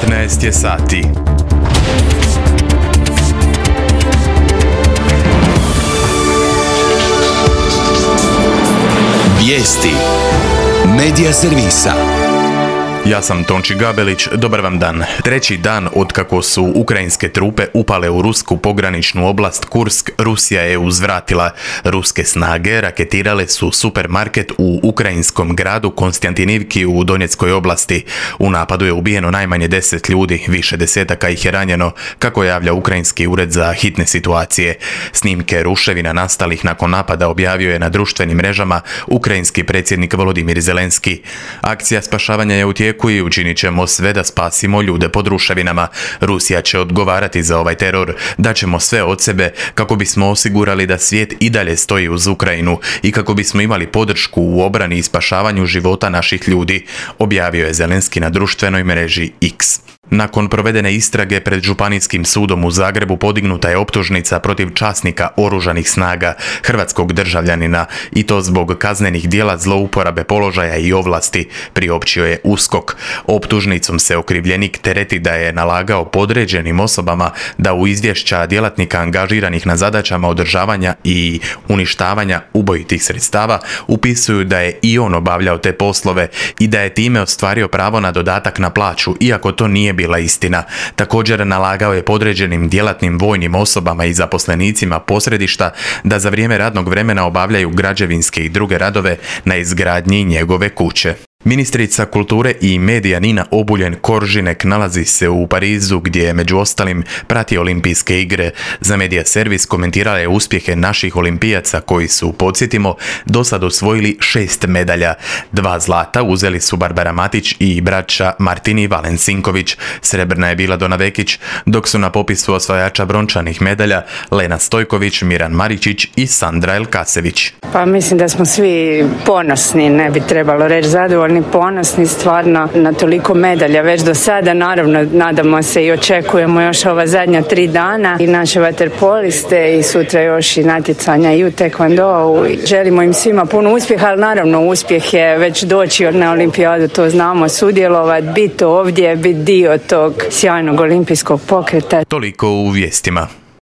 15 je sati. Vijesti Medija servisa. Ja sam Tonči Gabelić, dobar vam dan. Treći dan otkako su ukrajinske trupe upale u rusku pograničnu oblast Kursk, Rusija je uzvratila. Ruske snage raketirale su supermarket u ukrajinskom gradu Konstantinivki u Donjeckoj oblasti. U napadu je ubijeno najmanje 10 ljudi, više desetaka ih je ranjeno, kako javlja Ukrajinski ured za hitne situacije. Snimke ruševina nastalih nakon napada objavio je na društvenim mrežama ukrajinski predsjednik Volodimir Zelenski. Akcija spašavanja je u tijeku i učinit ćemo sve da spasimo ljude pod ruševinama. Rusija će odgovarati za ovaj teror. Daćemo sve od sebe kako bismo osigurali da svijet i dalje stoji uz Ukrajinu i kako bismo imali podršku u obrani i spašavanju života naših ljudi, objavio je Zelenski na društvenoj mreži X. Nakon provedene istrage pred Županijskim sudom u Zagrebu podignuta je optužnica protiv časnika oružanih snaga, hrvatskog državljanina, i to zbog kaznenih djela zlouporabe položaja i ovlasti, priopćio je USKOK. Optužnicom se okrivljenik tereti da je nalagao podređenim osobama da u izvješća djelatnika angažiranih na zadaćama održavanja i uništavanja ubojitih sredstava upisuju da je i on obavljao te poslove i da je time ostvario pravo na dodatak na plaću, iako to nije bila istina. Također nalagao je podređenim djelatnim vojnim osobama i zaposlenicima posredišta da za vrijeme radnog vremena obavljaju građevinske i druge radove na izgradnji njegove kuće. Ministrica kulture i medija Nina Obuljen Koržinek nalazi se u Parizu gdje je među ostalim prati olimpijske igre. Za medija servis komentirala je uspjehe naših olimpijaca koji su, podsjetimo, do sad osvojili 6 medalja. 2 zlata uzeli su Barbara Matić i braća Martini Valensinković. Srebrna je bila Dona Vekić, dok su na popisu osvajača brončanih medalja Lena Stojković, Miran Maričić i Sandra Elkasević. Pa mislim da smo svi ponosni, ne bi trebalo reći zadovoljni, ponosni stvarno na toliko medalja već do sada. Naravno, nadamo se i očekujemo još ova zadnja 3 dana i naše vaterpoliste i sutra još i natjecanja i u tekvondou. Želimo im svima puno uspjeha, ali naravno uspjeh je već doći na olimpijadu, to znamo, sudjelovati, biti ovdje, biti dio tog sjajnog olimpijskog pokreta. Toliko u vijestima.